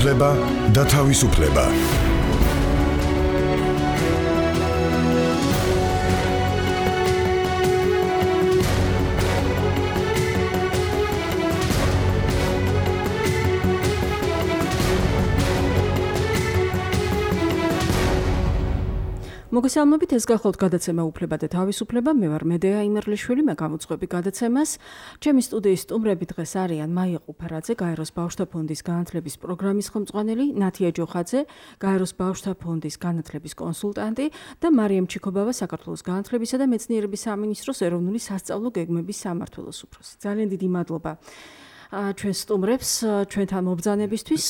უფლება და თავისუფლება. მოგესალმებით, ეს გახლავთ გადაცემა უფლება და თავისუფლება. მე ვარ მედეა იმერლიშვილი, მე გამოვწყვები გადაცემას. ჩემი სტუდიის სტუმრები დღეს არიან მაია ყუფარაძე, გაეროს ბავშვთა ფონდის განათლების პროგრამის ხელმძღვანელი, ნათია ჯოხაძე, გაეროს ბავშვთა ფონდის განათლების კონსულტანტი და მარიამ ჩიქობავა, საქართველოს განათლებისა და მეცნიერების სამინისტროს ეროვნული სასწავლო გეგმების სამმართველოს უფროსი. ძალიან დიდი მადლობა ჩვენ სტუმრებს, ჩვენთან მობრძანებისთვის.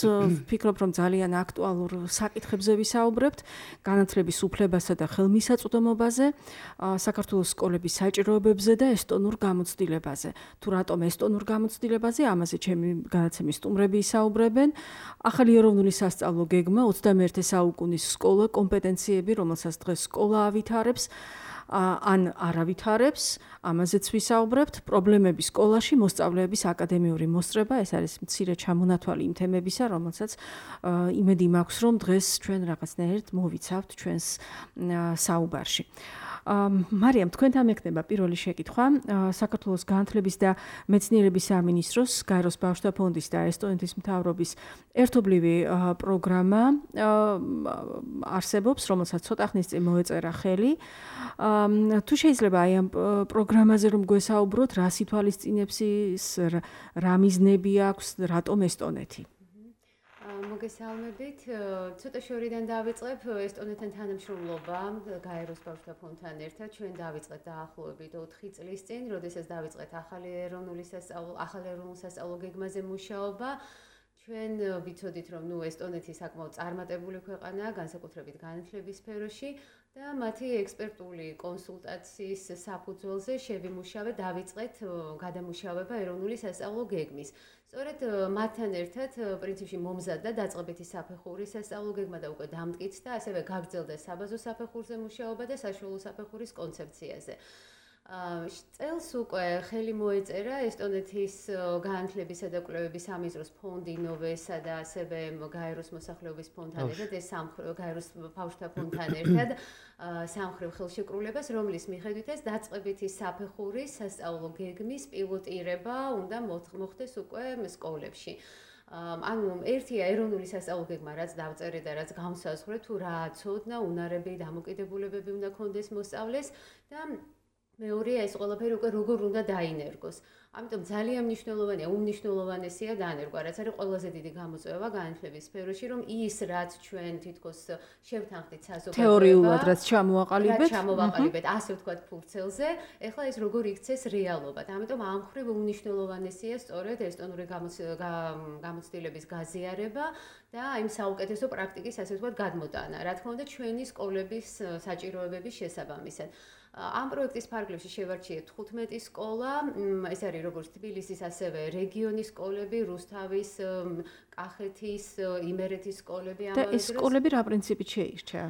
ვფიქრობ, რომ ძალიან აქტუალურ საკითხებზე ვისაუბრებთ, განათლების უფლებასა და ხელმისაწვდომობაზე, საქართველოს სკოლების საჭიროებებზე და ესტონურ გამოცდილებაზე. თუ რატომ ესტონურ გამოცდილებაზე, ამაზე ჩემი განაცემის სტუმრები ისაუბრებენ. ახალი ეროვნული სასწავლო გეგმა 21 საუკუნის სკოლა კომპეტენციები, რომელსაც დღეს სკოლა ავითარებს, ან არავითარებს, ამაზეც ვისაუბრებთ. პრობლემები სკოლაში, მოსწავლეების აკადემიური მოსწრება, ეს არის მცირე ჩამონათვალი იმ თემებისა, რომელსაც იმედი მაქვს, რომ დღეს ჩვენ რაღაცნაირად მოვიცავთ ჩვენს საუბარში. მარიამ, თქვენთან მექნება პირველი შეკითხვა. საქართველოს განათლების და მეცნიერების სამინისტროს, გაეროს ბავშვთა ფონდის და ესტონეთის მთავრობის ერთობლივი პროგრამა არსებობს, რომელსაც ცოტა ხნის წინ მოეწერა ხელი. თუ შეიძლება აი ამ პროგრამაზე რომ გვესაუბროთ, რა სითვალისწინებს ის, რა მიზნები აქვს, რატომ ესტონეთი? მოგესალმებით. ცოტა შორიდან დავიწყებ ესტონეთთან თანამშრომლობა გაეროს ბავშვთა ფონდთან ერთად. ჩვენ დავიწყეთ დაახლოებით 4 წლის წინ, როდესაც დავიწყეთ ახალი ეროვნული სასწავლო გეგმაზე მუშაობა. ჩვენ ვიცოდით, რომ ესტონეთი საკმაოდ წარმატებული ქვეყანაა, განსაკუთრებით განათლების სფეროში და მათი ექსპერტული კონსულტაციის საფუძველზე შევიმუშავეთ, დავიწყეთ გადამუშავება ეროვნული სასწავლო გეგმის. სწორედ მათთან ერთად პრინციპში მომზადდა დაწყებითი საფეხურის სასწავლო გეგმა და უკვე დამტკიცდა, ასევე გაგრძელდა საბაზო საფეხურზე მუშაობა და საშუალო საფეხურის კონცეფციაზე. წელს უკვე ხელი მოეწერა ესტონეთის განათლებისა და კვლევების სამინისტროს ფონდი ნოვესა და ასევე გაეროს მოსახლეობის ფონდთან ერთად, ეს გაეროს ბავშვთა ფონდთან ერთად სამხრივ ხელშეკრულებას, რომლის მიხედვითაც დაწყებითი საფეხურის სასწავლო გეგმის პილოტირება უნდა მოხდეს უკვე სკოლებში. ანუ ერთია ეროვნული სასწავლო გეგმა, რაც დავწერე და რაც განსაზღვრე, თუ რა ცოდნა, უნარები, დამოკიდებულებები უნდა ქონდეს მოსწავლეს და მეორეა ეს ყველაფერი უკვე როგორ უნდა დაინერგოს. ამიტომ ძალიან მნიშვნელოვანია, უმნიშვნელოვანესია დანერგვა, რაც არის ყველაზე დიდი გამოწვევა განათლების სფეროში, რომ ის რაც ჩვენ თითქოს შევთანხმდით საზოგადოება, თეორიულად რაც ჩამოვაყალიბეთ, ასე ვთქვათ, ფურცელზე, ეხლა ეს როგორ იქცეს რეალობად. ამიტომ ამ მხრივ უმნიშვნელოვანესია სწორედ ესტონური გამოცდილების გაზიარება და იმ საუკეთესო პრაქტიკის, ასე ვთქვათ, გადმოტანა. რა თქმა უნდა, ჩვენი სკოლების საჭიროებების შესაბამისად. ამ პროექტის ფარგლებში შევარჩიეთ 15 სკოლა, ეს არის როგორც თბილისის, ასევე რეგიონის სკოლები, რუსთავის, კახეთის, იმერეთის სკოლები ამავე დროს. და ეს სკოლები რა პრინციპით შეირჩა?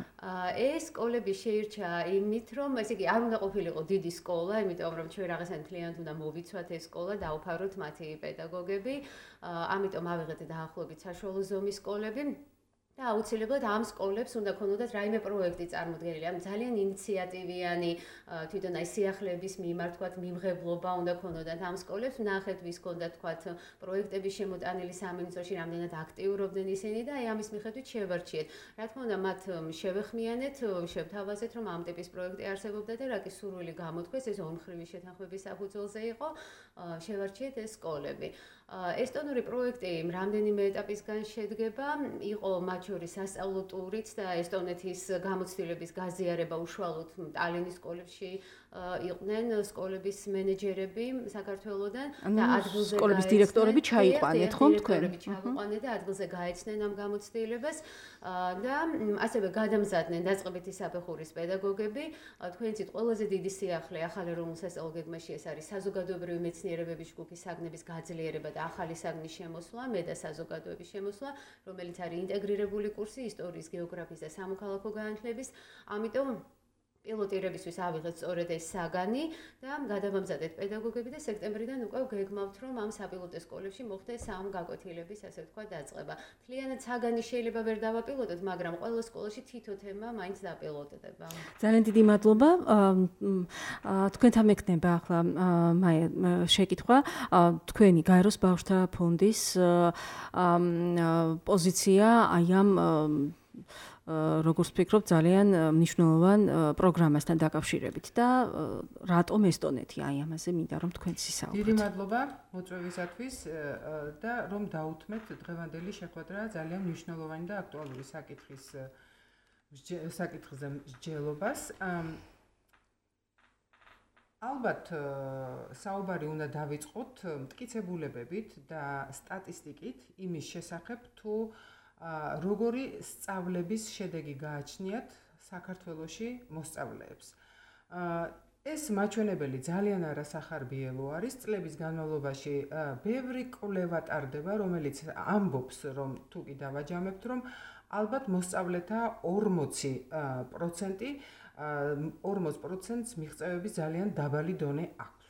ეს სკოლები შეირჩა იმით, რომ ესე იგი არ უნდა ყოფილიყო დიდი სკოლა, იმიტომ რომ ჩვენ რაღაცა მთლიანად უნდა მოვიცვათ ეს სკოლა, დავუფაროთ მათი პედაგოგები, ამიტომ ავიღეთ დაახლოებით საშუალო ზომის სკოლები. და აუცილებლად ამ სკოლებს უნდა ქონოდათ რაიმე პროექტი წარმოდგენილი, ამ ძალიან ინიციატივიანი თვითონ აი სიახლეების მიმართ თქვათ მიმღებლობა უნდა ქონოდათ ამ სკოლებს, ნახეთ ვის ქონდათ თქვათ პროექტების შემოტანილი სამინისტროში, რამდენად აქტიურობდნენ ისინი და აი ამის მიხედვით შევარჩიეთ. რა თქმა უნდა, მათ შევეხმიანეთ, შევთავაზეთ, რომ ამ ტიპის პროექტი არსებობდა და რა კი სურვილი გამოთქვეს, ეს ორმხრივი შეთანხმების საფუძველზე იყო, შევარჩიეთ ეს სკოლები. ესტონური პროექტი რამდენიმე ეტაპისგან შედგება, იყო მათ შორის სასწავლო ტურიც და ესტონეთის გამოცდილების გაზიარება უშუალოდ ტალინის სკოლებში იყვნენ სკოლების მენეჯერები საქართველოდან და ადგილზე სკოლების დირექტორები ჩაიყვანეთ, ხომ თქვენ? ჩაიყვანეთ და ადგილზე გაეცნენ ამ გამოცდილებას და ასევე გადამზადდნენ დაწყებითი საფეხურის პედაგოგები. თქვენ იცით, ყველაზე დიდი სიახლე ახალ ეროვნულ სასწავლო გეგმაში ეს არის საზოგადოებრივი მეცნიერებების ჯგუფის საგნების გაძლიერება და ახალი საგნის შემოსვლა, მე და საზოგადოების შემოსვლა, რომელიც არის ინტეგრირებული კურსი ისტორიის, გეოგრაფიის და სამოქალაქო განათლების. ამიტომ პილოტირებისთვის ავიღეთ სწორედ ეს საგანი და გადავამზადეთ პედაგოგები და სექტემბრიდან უკვე გეგმავთ, რომ ამ საპილოტო სკოლებში მოხდეს ამ გაკვეთილების, ასე ვთქვათ, დაწყება. მთლიანად საგანი შეიძლება ვერ დავაპილოტოთ, მაგრამ ყველა სკოლაში თითო თემა მაინც დაპილოტდება. ძალიან დიდი მადლობა. თქვენთან მექნება ახლა შეკითხვა. თქვენი გაეროს ბავშვთა ფონდის პოზიცია აი ამ როგორც ვფიქრობ, ძალიან მნიშვნელოვან პროგრამასთან დაკავშირებით და რატომ ესტონეთი აი ამაზე მინდა რომ თქვენ ისაუბროთ. დიდი მადლობა მოწვევისათვის და რომ დაუთმეთ დღევანდელი შეხვედრა ძალიან მნიშვნელოვანი და აქტუალური საკითხზე მსჯელობას. ალბათ საუბარი უნდა დავიწყოთ მტკიცებულებებით და სტატისტიკით იმის შესახებ თუ როგორი სწავლების შედეგი გააჩნიათ საქართველოში მოსწავლეებს. ეს მაჩვენებელი ძალიან არასახარბიელო არის. წლების განმავლობაში ბევრი კვლევა ტარდება, რომელიც ამბობს, რომ თუ კი დავაჯამებთ, რომ ალბათ მოსწავლეთა 40%-ს მიღწევების ძალიან დაბალი დონე აქვს.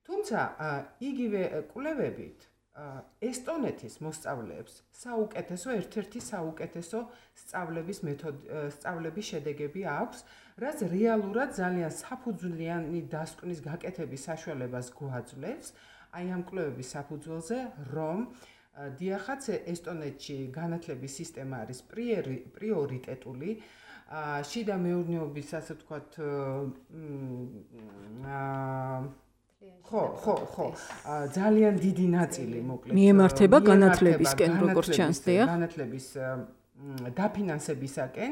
თუმცა იგივე კვლევებით ესტონეთის მოსწავლეებს ერთ-ერთი საუკეთესო სწავლების შედეგები აქვს, რაც რეალურად ძალიან საფუძვლიანი დასკვნის გაკეთების საშუალებას გვაძლევს. აი ამ კვლევების საფუძველზე, რომ დიახაც ესტონეთში განათლების სისტემა არის პრიორიტეტული, შიდა მეურნეობის, ასე ვთქვათ, ხო, ძალიან დიდი ნაწილი მოკლედ მიემართება განათლებისკენ, როგორც ჩანს, განათლების დაფინანსებისაკენ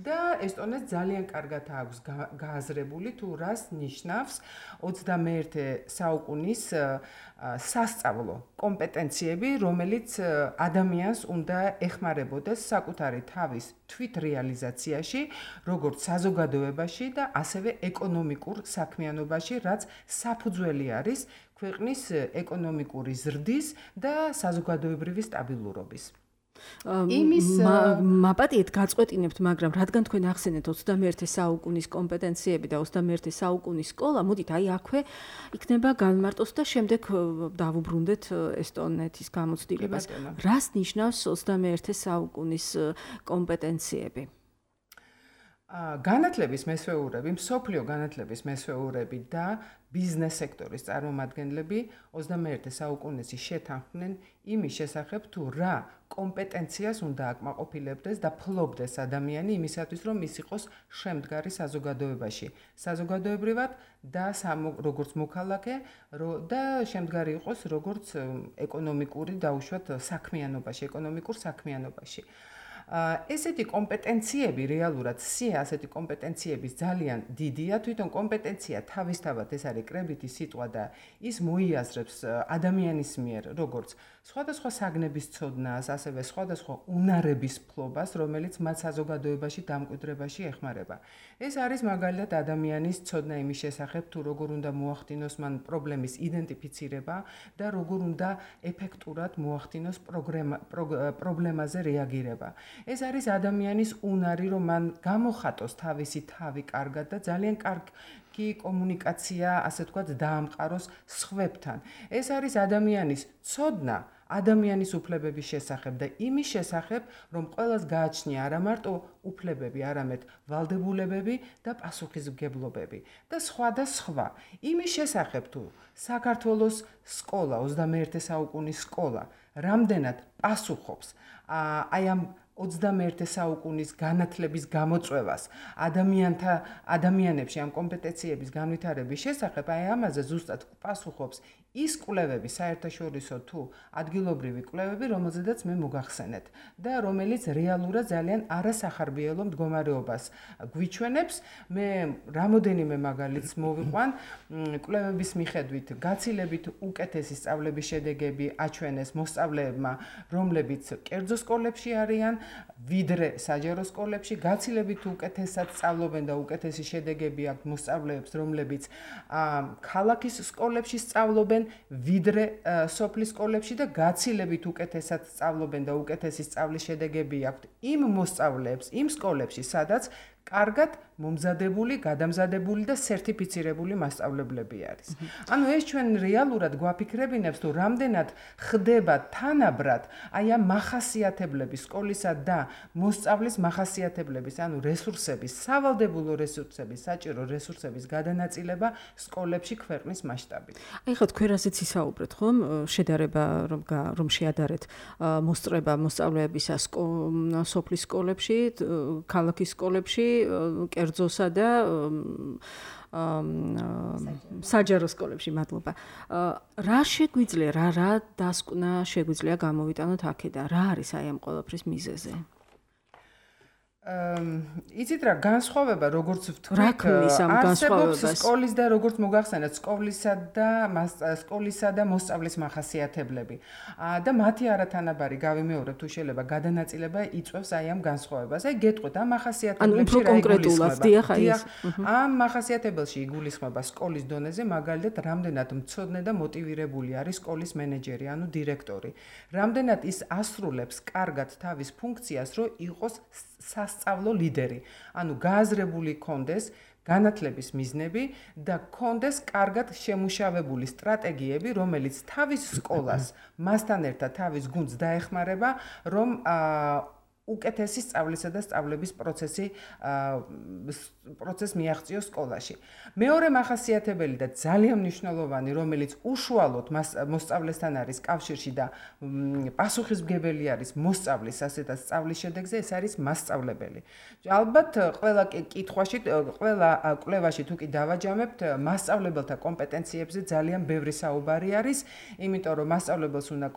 და ესტონეთს ძალიან კარგად აქვს გააზრებული თუ რას ნიშნავს 21 საუკუნის სასწავლო კომპეტენციები, რომელიც ადამიანს უნდა ეხმარებოდეს საკუთარი თავის თვითრეალიზაციაში, როგორც საზოგადოებაში და ასევე ეკონომიკურ საქმიანობაში, რაც საფუძველი არის ქვეყნის ეკონომიკური ზრდის და საზოგადოებრივი სტაბილურობის. მაპატიეთ გაწყვეტინებთ, მაგრამ რადგან თქვენ ახსენეთ 21 საუკუნის კომპეტენციები და 21 საუკუნის სკოლა, მოდით აი აქვე იქნება განმარტოს და შემდეგ დავუბრუნდეთ ესტონეთის გამოცდილებას. რას ნიშნავს 21 საუკუნის კომპეტენციები? განათლების მესვეურები, მსოფლიო განათლების მესვეურები და ბიზნეს სექტორის წარმომადგენლები 21 საუკუნეში შეთანხმდნენ იმის შესახებ, თუ რა კომპეტენციას უნდა აკმაყოფილებდეს და ფლობდეს ადამიანი იმისათვის, რომ ის იყოს შემდგარი საზოგადოებაში, საზოგადოებრივად და როგორც მოქალაქე და შემდგარი იყოს როგორც ეკონომიკური დაუშვათ საქმიანობაში, ეკონომიკურ საქმიანობაში. ესეთი კომპეტენციები რეალურად ასეთი კომპეტენციების ძალიან დიდია, თვითონ კომპეტენცია თავისთავად ეს არის კრებითი სიტყვა და ის მოიაზრებს ადამიანის მიერ როგორც სხვადასხვა საგნების ცოდნას, ასევე სხვადასხვა უნარების ფლობას, რომელიც მათ საზოგადოებაში დამკვიდრებაში ეხმარება. ეს არის მაგალითად ადამიანის ცოდნა იმის შესახებ, თუ როგორ უნდა მოახდინოს მან პრობლემის იდენტიფიცირება და როგორ უნდა ეფექტურად მოახდინოს პრობლემაზე რეაგირება. ეს არის ადამიანის უნარი, რომ მან გამოხატოს თავისი თავი კარგად და ძალიან კარგი კომუნიკაცია, ასე ვთქვათ, დაამყაროს სხვებთან. ეს არის ადამიანის ცოდნა ადამიანის უფლებების შესახებ და იმის შესახებ, რომ ყველას გააჩნია არა მარტო უფლებები, არამედ ვალდებულებები და პასუხისმგებლობები და სხვა. იმის შესახებ, თუ საქართველოს სკოლა, 21 საუკუნის სკოლა, რამდენად პასუხობს აი ამ 21 საუკუნის განათლების გამოწვევას ადამიანებში ამ კომპეტენციების განვითარების შესახებ, აი ამაზე ზუსტად პასუხობს ის კვლევები, საერთაშორისო თუ ადგილობრივი კვლევები, რომელზედაც მე მოგახსენეთ და რომელიც რეალურად ძალიან არასახარბიელო მდგომარეობას გვიჩვენებს. მე რამოდენიმე მაგალითს მოვიყვან. კვლევების მიხედვით გაცილებით უკეთესი სწავლების შედეგები აჩვენეს მოსწავლეებმა, რომლებიც კერძო სკოლებში არიან, ვიდრე საჯარო სკოლებში, გაცილებით უკეთესად სწავლობენ და უკეთესი შედეგები აქვთ მოსწავლეებს, რომლებიც ქალაქის სკოლებში სწავლობენ, ვიდრე სოფლის სკოლებში და გაცილებით უკეთესად სწავლობენ და უკეთესი სწავლის შედეგები აქვთ იმ მოსწავლეებს, იმ სკოლებში, სადაც კარგად მომზადებული, გადამზადებული და სერტიფიცირებული მასწავლებლები არის. ანუ ეს ჩვენ რეალურად გვაფიქრებინებს, თუ რამდენად ხდება თანაბრად აი ამ მახასიათებლების, სკოლისა და მოსწავლის მახასიათებლების, ანუ რესურსების, სავალდებულო რესურსების, საჭირო რესურსების გადანაწილება სკოლებში ქვეყნის მასშტაბით. აი ხო თქვენ ასეც ისაუბრეთ, ხომ? შედარება რომ შეადარეთ მოსწრება მოსწავლეებისა სოფლის სკოლებში, ქალაქის სკოლებში, კერძოსა და საჯარო სკოლებში, მადლობა. რა შეგვიძლია, რა დასკვნა შეგვიძლია გამოვიტანოთ აქედან? რა არის აი ამ ყველაფრის მიზეზი? იცით რა, განსხვავება როგორც ვთქვით, არსებობს სკოლის და როგორც მოგახსენეთ, სკოლისა და მოსწავლის მახასიათებლები. და მათი არათანაბარი გავიმეორებ, თუ შეიძლება გადანაწილება იწვევს აი ამ განსხვავებას. აი გეტყვით, ამ მახასიათებლებში რა იგულისხმება? ამ მახასიათებელში იგულისხმება სკოლის დონეზე, მაგალითად, რამდენად მცოდნე და მოტივირებული არის სკოლის მენეჯერი, ანუ დირექტორი. რამდენად ის ასრულებს კარგად თავის ფუნქციას, რომ იყოს სასწავლო ლიდერი, ანუ გააზრებული კონდეს განათლების მიზნები და კონდეს კარგად შემუშავებული სტრატეგიები, რომელიც თავის სკოლას, მასთან ერთად თავის გუნდს დაეხმარება, რომ უკეთესი სწავლისა და სწავლების პროცესი მიაღწიოს სკოლაში. მეორე მახასიათებელი და ძალიან მნიშვნელოვანი, რომელიც უშუალოდ მოსწავლესთან არის კავშირში და პასუხისმგებელი არის მოსწავლის ასეთ სწავლის შედეგზე, ეს არის მასწავლებელი. ალბათ ყველა კვლევაში თუ კი დავაჯამებთ, მასწავლებელთა კომპეტენციებზე ძალიან ბევრი საუბარი არის, იმიტომ რომ მასწავლებელს უნდა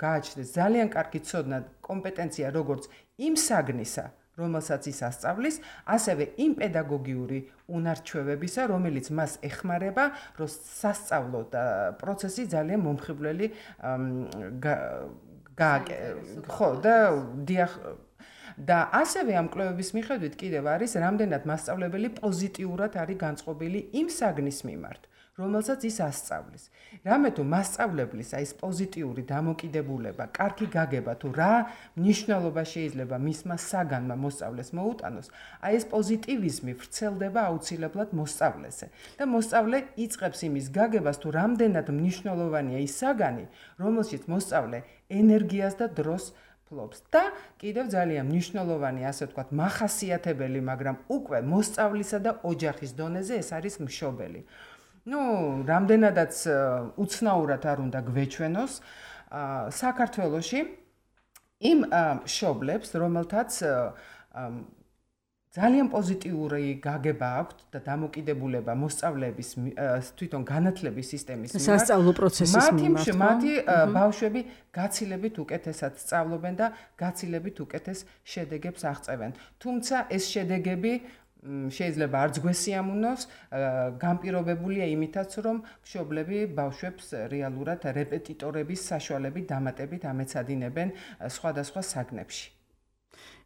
გააჩნდეს ძალიან კარგი ცოდნა, კომპეტენცია როგორც იმ საგნისა, რომელსაც ის ასწავლის, ასევე იმ პედაგოგიური უნარჩვევებისა, რომელიც მას ეხმარება, რომ სასწავლო პროცესი ძალიან მომხიბვლელი და ასევე ამ კვლევების მიხედვით კიდევ არის რამდენად მასწავლებელი პოზიტიურად არის განწყობილი იმ საგნის მიმართ, რომელსაც ის ასწავლის. რამე თუ მასწავლებლის აი ეს პოზიტიური დამოკიდებულება, კარგი გაგება თუ რა მნიშვნელობა შეიძლება მისმა საგანმა მოსწავლეს მოუტანოს, აი ეს პოზიტივიზმი ვრცელდება აუცილებლად მოსწავლეზე და მოსწავლე იწყებს იმის გაგებას თუ რამდენად მნიშვნელოვანია ის საგანი, რომელშიც მოსწავლე ენერგიას და დროს ფლობს და კიდევ ძალიან მნიშვნელოვანი, ასე ვთქვათ, მახასიათებელი, მაგრამ უკვე მოსწავლისა და ოჯახის დონეზე ეს არის მშობელი. რამდენადაც უცნაურად არ უნდა გვეჩვენოს, საქართველოში იმ მშობლებს, რომელთაც ძალიან პოზიტიური გაგება აქვთ და დამოკიდებულება მოსწავლეების თვითონ განათლების სისტემის მიმართ, სასწავლო პროცესის მიმართ, მათი ბავშვები გაცილებით უკეთესად სწავლობენ და გაცილებით უკეთეს შედეგებს აღწევენ. თუმცა ეს შედეგები შეიძლება არც გვესიამოვნოს, განპირობებულია იმითაც, რომ მშობლები ბავშვებს რეალურად რეპეტიტორების საშუალებით დამატებით ამეცადინებენ სხვადასხვა საგნებში.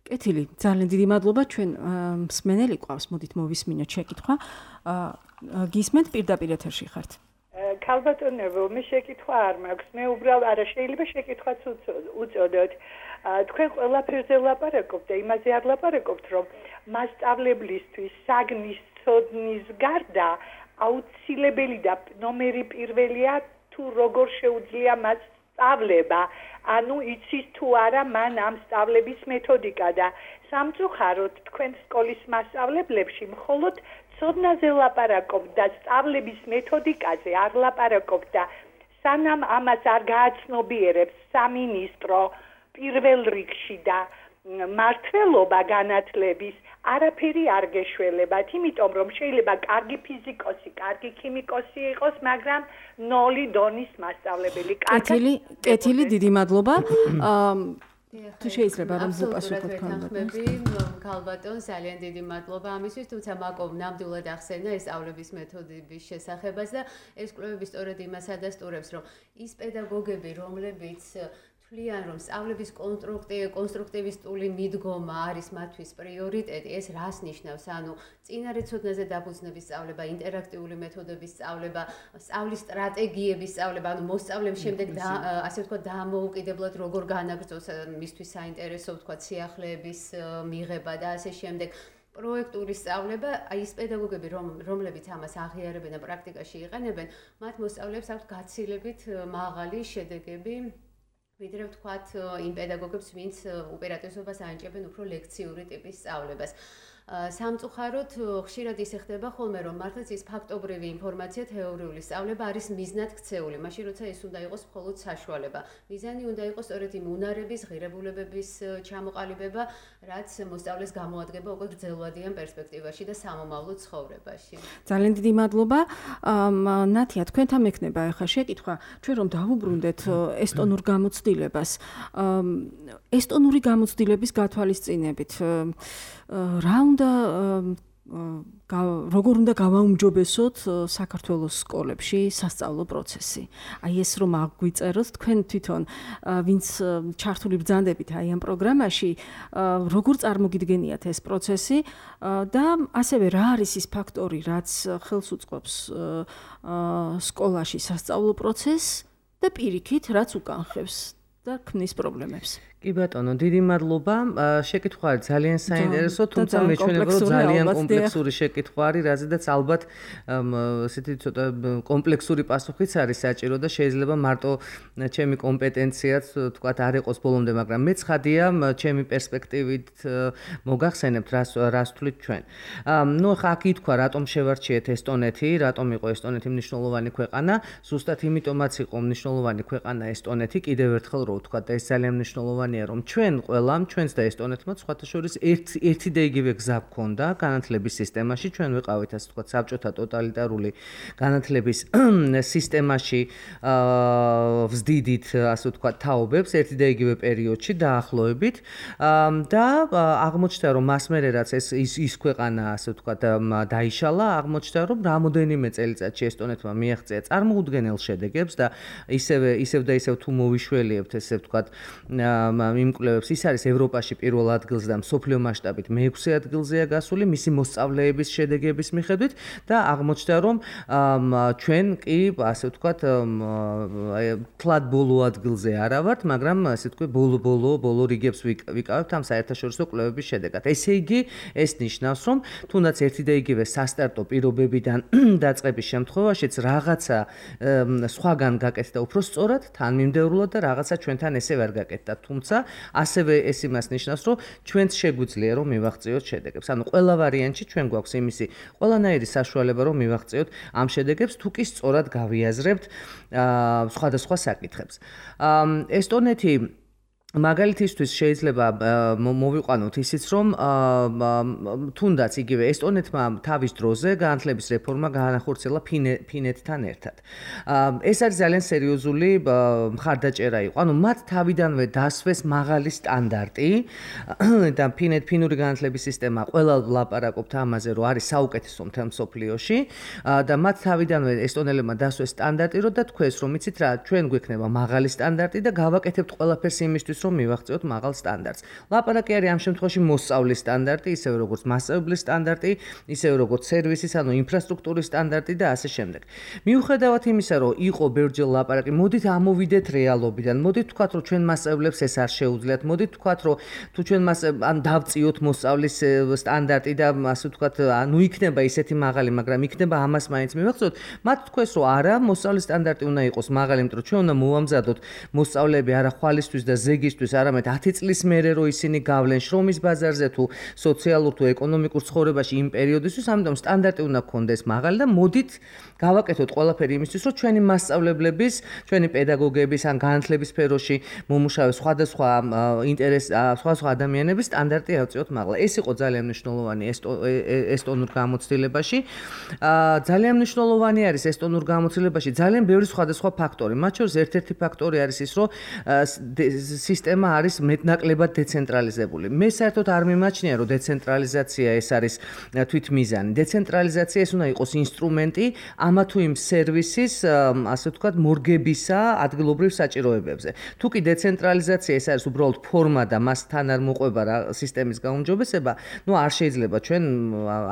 კეთილი, ძალიან დიდი მადლობა. ჩვენ მსმენელი ყავს, მოდით მოვისმინოთ შეკითხვა. გისმენთ პირდაპირ ეთერში ხართ. ქალბატონებო, მე შეკითხვა არ მაქვს. მე უბრალოდ არა შეიძლება შეკითხვაც უწოდოთ. თქვენ ყველაფერზე ლაპარაკობთ და იმაზე არ ლაპარაკობთ, რომ მასწავლებლისთვის საგნის ცოდნის გარდა აუცილებელი და ნომერი პირველია თუ როგორ შეუძლია მას სწავლება, ანუ იცის თუ არა მან ამ სწავლების მეთოდიკა და სამწუხაროდ თქვენ სკოლის მასწავლებლებში მხოლოდ ცოდნაზე ლაპარაკობთ და სწავლების მეთოდიკაზე არ ლაპარაკობთ და სანამ ამას არ გააცნობიერებს სამინისტრო პირველ რიგში და მართლობა განათლების არაფერი არ გეშველებათ, იმიტომ რომ შეიძლება კარგი ფიზიკოსი, კარგი ქიმიკოსი იყოს, მაგრამ ნოლი დონის მასწავლებელი. კეთილი, დიდი მადლობა. თუ შეიძლება რომ უპასუხოთ ქალბატონს, ძალიან დიდი მადლობა ამისთვის, თუმცა მაკომ ნამდვილად ახსენა ეს სწავლების მეთოდების შესახებაც და ეს კვლევები სწორედ იმას ადასტურებს, რომ ის პედაგოგები, რომლებიც თვლიან, რომ სწავლების კონსტრუქტივისტული მიდგომა არის მათთვის პრიორიტეტი, ეს რას ნიშნავს? ანუ წინარე ცოდნაზე დაფუძნების სწავლება, ინტერაქტიული მეთოდების სწავლება, სწავლის სტრატეგიების სწავლება, ანუ მოსწავლემ შემდეგ ასე ვთქვათ, დამოუკიდებლად როგორ განაგრძოს მისთვის საინტერესო, ვთქვათ, სიახლეების მიღება და ასე შემდეგ. პროექტული სწავლება, აი ეს პედაგოგები, რომლებიც ამას აღიარებენ და პრაქტიკაში იყენებენ, მათ მოსწავლეებს აქვთ გაცილებით მაღალი შედეგები, ვიდრე ვთქვათ იმ პედაგოგებს, ვინც უპირატესობას ანიჭებენ უფრო ლექციური ტიპის სწავლებას. სამწუხაროდ ხშირად ისე ხდება ხოლმე, რომ მართლაც ის ფაქტობრივი ინფორმაცია, თეორიული სწავლება არის მიზნად ქცეული, მაშინ როცა ეს უნდა იყოს მხოლოდ საშუალება. მიზანი უნდა იყოს სწორედ იმ უნარების, ღირებულებების ჩამოყალიბება, რაც მოსწავლეს გამოადგება უკვე გრძელვადიან პერსპექტივაში და სამომავლო ცხოვრებაში. ძალიან დიდი მადლობა. ნათია, თქვენთან მექნება ახლა შეკითხვა, ჩვენ რომ დავუბრუნდეთ ესტონურ გამოცდილებას. ესტონური გამოცდილების გათვალისწინებით რა უნდა როგორ უნდა გავაუმჯობესოთ საქართველოს სკოლებში სასწავლო პროცესი. აი ეს რომ აგვიწეროთ თქვენ თვითონ ვინც ჩართული ბრძანდებით აი ამ პროგრამაში, როგორ წარმოგიდგენიათ ეს პროცესი და ასევე რა არის ის ფაქტორი, რაც ხელს უწყობს სკოლაში სასწავლო პროცესს და პირიქით რაც უკანხევს და ქმნის პრობლემებს. კი ბატონო, დიდი მადლობა. შეკითხვა არის ძალიან საინტერესო, თუმცა მეჩვენება რომ ძალიან კომპლექსური შეკითხვა არის, რაზედაც ალბათ ესეთი ცოტა კომპლექსური პასუხიც არის საჭირო და შეიძლება მარტო ჩემი კომპეტენციაც თქვათ არ იყოს ბოლომდე, მაგრამ მე ცხადია, ჩემი პერსპექტივით მოგახსენებთ რას ვთვლით ჩვენ. ნუ ხა აქ ითქვა, რატომ შევარჩიეთ ესტონეთი, რატომ იყო ესტონეთი მნიშვნელოვანი ქვეყანა, ზუსტად იმიტომაც იყო მნიშვნელოვანი ქვეყანა ესტონეთი, კიდევ ერთხელ რო ვთქვათ და ეს ძალიან მნიშვნელოვანი რომ ჩვენ ყველამ, ჩვენს და ესტონეთმა სხვათა შორის ერთი და იგივე გზა გქონდა განათლების სისტემაში, ჩვენ ვიყავით ასე ვთქვათ საბჭოთა ტოტალიტარული განათლების სისტემაში ვზდიდით ასე ვთქვათ თაობებს ერთი და იგივე პერიოდში დაახლოებით და აღმოჩნდა რომ მას მერე რაც ის ქვეყანა ასე ვთქვათ დაიშალა, აღმოჩნდა რომ რამოდენიმე წელიწადში ესტონეთმა მიაღწია წარმოუდგენელ შედეგებს და ისევ თუ მოვიშველიებთ ესე ვთქვათ იმ კვლევებს ის არის ევროპაში პირველ ადგილზე და მსოფლიო მასშტაბით მე-6 ადგილზეა გასული მისი მოსწავლეების შედეგების მიხედვით და აღმოჩნდა რომ ჩვენ კი ასე ვთქვათ თლად ბოლო ადგილზე არა ვართ, მაგრამ ასე ვთქვი ბოლო რიგებს ვიკავებთ ამ საერთაშორისო კვლევების შედეგად. ესე იგი ეს ნიშნავს რომ თუნდაც ერთი და იგივე სასტარტო პირობებიდან დაწყების შემთხვევაშიც რაღაცა სხვაგან გაკეთდა უფრო სწორად, თანმიმდევრულად და რაღაცა ჩვენთან ესე ვერ გაკეთდა. თუმცა ასევე ეს იმას ნიშნავს, რომ ჩვენც შეგვიძლია რომ მივაღწიოთ შედეგებს. ანუ ყველა ვარიანტში ჩვენ გვაქვს იმისი ყველანაირი საშუალება რომ მივაღწიოთ ამ შედეგებს, თუ კი სწორად გავიაზრებთ სხვადასხვა საკითხებს. ესტონეთი მაგალითისთვის შეიძლება მოვიყვანოთ ისიც რომ თუნდაც იგივე ესტონეთმა თავის დროზე განათლების რეფორმა გაანახორციელა ფინეთთან ერთად. ეს არის ძალიან სერიოზული მხარდაჭერა იყო. ანუ მათ თავიდანვე დასვეს მაღალი სტანდარტი და ფინური განათლების სისტემა ყველა ვლაპარაკობთ ამაზე, რომ არის საუკეთესო მთელ მსოფლიოში და მათ თავიდანვე ესტონელებმა დასვეს სტანდარტი, რომ და თქვეს რომ იცით რა, ჩვენ გვექნება მაღალი სტანდარტი და გავაკეთებთ ყველაფერს იმისთვის რომ მივაღწიოთ მაღალ სტანდარტს. ლაპარაკი არის ამ შემთხვევაში მოსწავლის სტანდარტი, ისევე როგორც მასწავლებლის სტანდარტი, ისევე როგორც სერვისის, ანუ ინფრასტრუქტურის სტანდარტი და ასე შემდეგ. მიუხედავად იმისა, რომ იყო ბევრჯერ ლაპარაკი, მოდით ამოვიდეთ რეალობიდან. მოდით ვთქვათ, რომ ჩვენ მასწავლებლებს ეს არ შეუძლიათ. მოდით ვთქვათ, რომ თუ ჩვენ დავწიოთ მოსწავლის სტანდარტი და ასე ვთქვათ, ანუ იქნება ისეთი მაღალი, მაგრამ იქნება ამას მაინც მივაღწიოთ. მათ თქვეს, რომ არა, მოსწავლის სტანდარტი უნდა იყოს მაღალი, იმიტომ რომ ჩვენ უნდა მოვამზადოთ მოსწავლეები არა ხვალისთვის და ზეგისთვის, არამედ 10 წლის მერე რო ისინი გავლენ შრომის ბაზარზე თუ სოციალურ თუ ეკონომიკურ ცხოვრებაში იმ პერიოდისთვის, ამიტომ სტანდარტი უნდა გქონდეს მაღალი და მოდით გავაკეთოთ ყველაფერი იმისთვის, რომ ჩვენი მასწავლებლების, ჩვენი პედაგოგების ან განათლების სფეროში მომუშავე სხვადასხვა სხვადასხვა ადამიანების სტანდარტი ავწიოთ მაღლა. ეს იყო ძალიან მნიშვნელოვანი ესტონურ გამოცდილებაში. ძალიან მნიშვნელოვანი არის ესტონურ გამოცდილებაში ძალიან ბევრი სხვადასხვა ფაქტორი. მათ შორის ერთ-ერთი ფაქტორი არის ის, რომ სისტემა არის მეტნაკლებად დეცენტრალიზებული. მე საერთოდ არ მიმაჩნია, რომ დეცენტრალიზაცია ეს არის თვითმიზანი. დეცენტრალიზაცია ეს უნდა იყოს ინსტრუმენტი ამა თუ იმ სერვისის, ასე ვთქვათ, მორგებისა ადგილობრივ საჭიროებებზე. თუ კი დეცენტრალიზაცია ეს არის უბრალოდ ფორმა და მასთან არ მოყვება რა სისტემის გაუმჯობესება, ნუ არ შეიძლება ჩვენ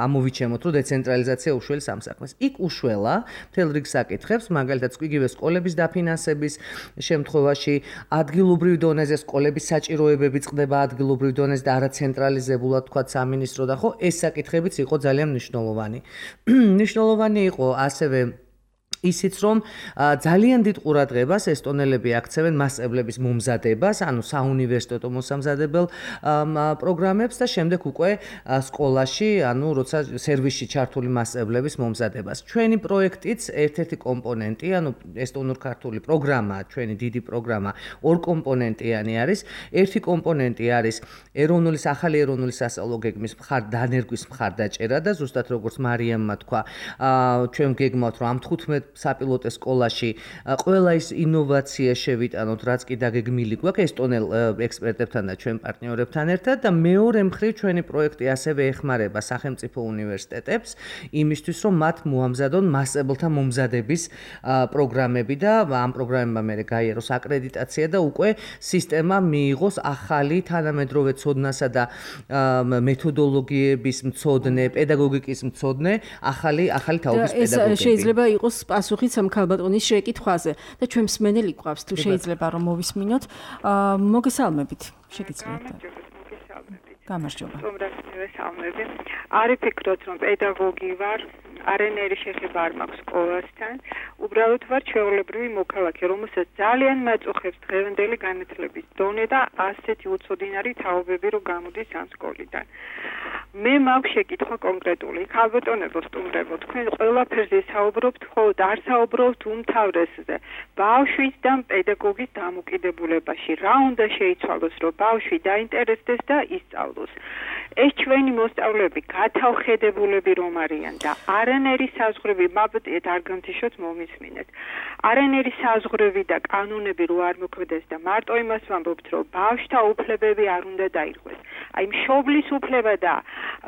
ამოვიჩემოთ, რომ დეცენტრალიზაცია უშველს ამ საქმეს. იქ უშველა მთელ რიგ საკითხებს, მაგალითად, იგივე სკოლების დაფინანსების შემთხვევაში, ადგილობრივ დონეზე სკოლების საჭიროებები წყდება ადგილობრივ დონეზე და არა ცენტრალიზებულად თქვათ სამინისტრო და ხო ეს საკითხებიც იყო ძალიან მნიშვნელოვანი. მნიშვნელოვანი იყო ასევე ისიც რომ ძალიან დიდ ყურადღებას ესტონელები აქცევენ მასწავლებლების მომზადებას, ანუ საუნივერსიტეტო მოსამზადებელ პროგრამებს და შემდეგ უკვე სკოლაში, ანუ როცა სერვისში ჩართული მასწავლებლების მომზადებას. ჩვენი პროექტიც ერთ-ერთი კომპონენტი, ანუ ესტონურ-ქართული პროგრამა, ჩვენი დიდი პროგრამა ორ კომპონენტიანი არის. ერთი კომპონენტი არის ახალი ეროვნული სასწავლო გეგმის დანერგვის მხარდაჭერა და ზუსტად როგორც მარიამმა თქვა, ჩვენ გეგმავთ რომ ამ 15 საპილოტო სკოლაში ყველა ის ინოვაცია შევიტანოთ, რაც კი დაგეგმილი გვაქვს ესტონელ ექსპერტებთან და ჩვენ პარტნიორებთან ერთად და მეორე მხრივ ჩვენი პროექტი ასევე ეხმარება სახელმწიფო უნივერსიტეტებს იმისთვის, რომ მათ მოამზადონ მასწავლებლთა მომზადების პროგრამები და ამ პროგრამებმა მერე გაიაროს აკრედიტაცია და უკვე სისტემა მიიღოს ახალი თანამედროვე ცოდნასა და მეთოდოლოგიების მცოდნე, პედაგოგიკის მცოდნე, ახალი თაობის პედაგოგები. ეს შეიძლება იყოს პასუხიც ამ ქალბატონის შეკითხვაზე და ჩვენ მსმენელი გვყავს თუ შეიძლება რომ მოვისმინოთ. მოგესალმებით, შეგიძლიათ. გამარჯობა. მოგესალმები. არ ვფიქრობ რომ პედაგოგი ვარ, არანაირი შეხება არ მაქვს სკოლასთან. უბრალოდ ვარ ჩვეულებრივი მოქალაქე, რომელსაც ძალიან მაწუხებს დღევანდელი განათლების დონე და ასეთი უცოდინარი თაობები რო გამოდის ამ სკოლიდან. მე მაქვს შეკითხვა კონკრეტული. ქალბატონებო სტუმრებო, თქვენ ყველაფერზე საუბრობთ, ხოლოდ არ საუბრობთ უმთავრესზე. ბავშვის და პედაგოგის დამოკიდებულებაში. რა უნდა შეიცვალოს, რომ ბავშვი დაინტერესდეს და ისწავლოს. ეს ჩვენი მოსწავლეები გათავხედებულები რომ არიან და არანაირი საზღვრები მაბტიეთ არ გამთიშოთ მომისმინეთ. არანაირი საზღვრები და კანონები რო არ მოქმედებს და მარტო იმას ვამბობთ, რომ ბავშვთა უფლებები არ უნდა დაირღვეს. აი მშობლის უფლება და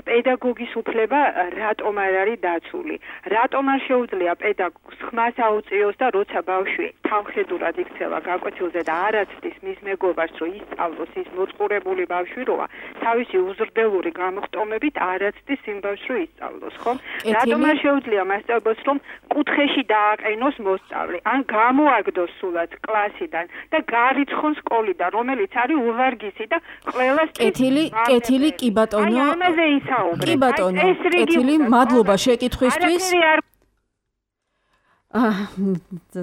პედაგოგის უფლება რატომ არ არის დაცული? რატომ არ შეუძლია პედაგოგს ხმას აუწიოს და როცა ბავშვი თავხედურად იქცევა გაკვეთილზე და არ აცდის მის მეგობარს რომ ისწავლოს, ის მოწყურებული ბავშვი როა, თავისი უზრდელური გამოხტომებით არ აცდის იმ ბავშვს რომ ისწავლოს, ხო? რატომ არ შეუძლია მასწავლებელს რომ კუთხეში დააყენოს მოსწავლე, ან გამოაგდოს სულაც კლასიდან და გარიცხონ სკოლიდან, რომელიც არის უვარგისი და ყველას კეთილი კი ბატონო. კი ბატონო, კეთილი, მადლობა შეკითხვისთვის.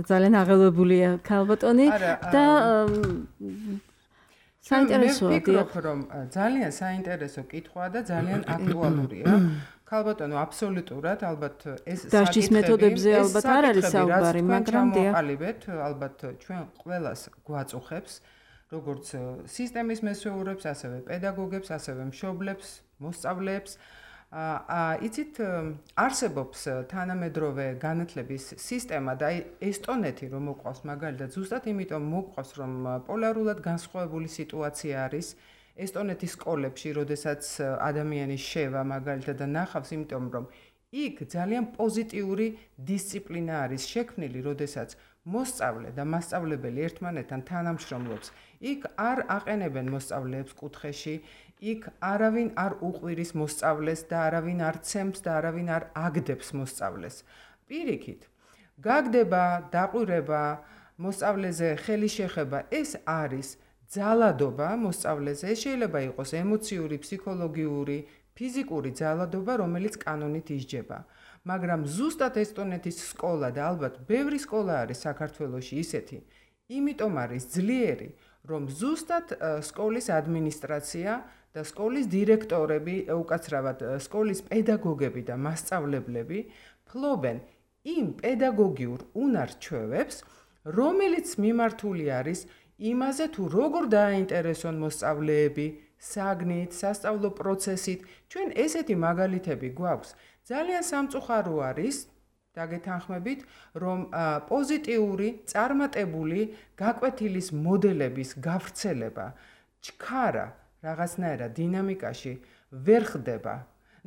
ძალიან აღელვებულია ქალბატონი და საინტერესოა. მე ვფიქრობ, რომ ძალიან საინტერესო კითხვაა და ძალიან აქტუალურია. ქალბატონო, აბსოლუტურად, ალბათ ეს დასჯის მეთოდებზე ალბათ არ არის საუბარი, მაგრამ მოყალიბეთ, ალბათ ჩვენ ყველას გვაწუხებს, როგორც სისტემის მესვეურებს, ასევე პედაგოგებს, ასევე მშობლებს, მოსწავლეებს. იცით, არსებობს თანამედროვე განათლების სისტემა და ესტონეთი რომ მოყვავს მაგალითად, ზუსტად იმიტომ მოყვავს, რომ პოლარულად განსხვავებული სიტუაცია არის ესტონეთის სკოლებში, როდესაც ადამიანი შევა მაგალითად და ნახავს, იმიტომ რომ იქ ძალიან პოზიტიური დისციპლინა არის შექმნილი, როდესაც მოსწავლე და მასწავლებელი ერთმანეთთან თანამშრომლობს. იქ არ აყენებენ მოსწავლეებს კუთხეში, იქ არავინ არ უყვირის მოსწავლეს და არავინ არ ცემს და არავინ არ აგდებს მოსწავლეს. პირიქით, გაგდება, დაყვირება, მოსწავლეზე ხელი შეხება, ეს არის ძალადობა მოსწავლეზე, შეიძლება იყოს ემოციური, ფსიქოლოგიური, ფიზიკური ძალადობა, რომელიც კანონით ისჯება. მაგრამ ზუსტად ესტონეთის სკოლა და ალბათ ბევრი სკოლა არის საქართველოში ისეთი, იმიტომ არის ძლიერი, რომ ზუსტად სკოლის ადმინისტრაცია და სკოლის დირექტორები, უკაცრავად სკოლის პედაგოგები და მასწავლებლები ფლობენ იმ პედაგოგიურ უნარ-ჩვევებს, რომელიც მიმართული არის იმაზე, თუ როგორ დააინტერესონ მოსწავლეები საგნით, სასწავლო პროცესით. ჩვენ ესეთი მაგალითები გვაქვს. ძალიან სამწუხარო არის, დაგეთანხმებით, რომ პოზიტიური, წარმატებული გაკვეთილის მოდელების გავრცელება ჩქარა რაღაცნაირად დინამიკაში ვერ ხდება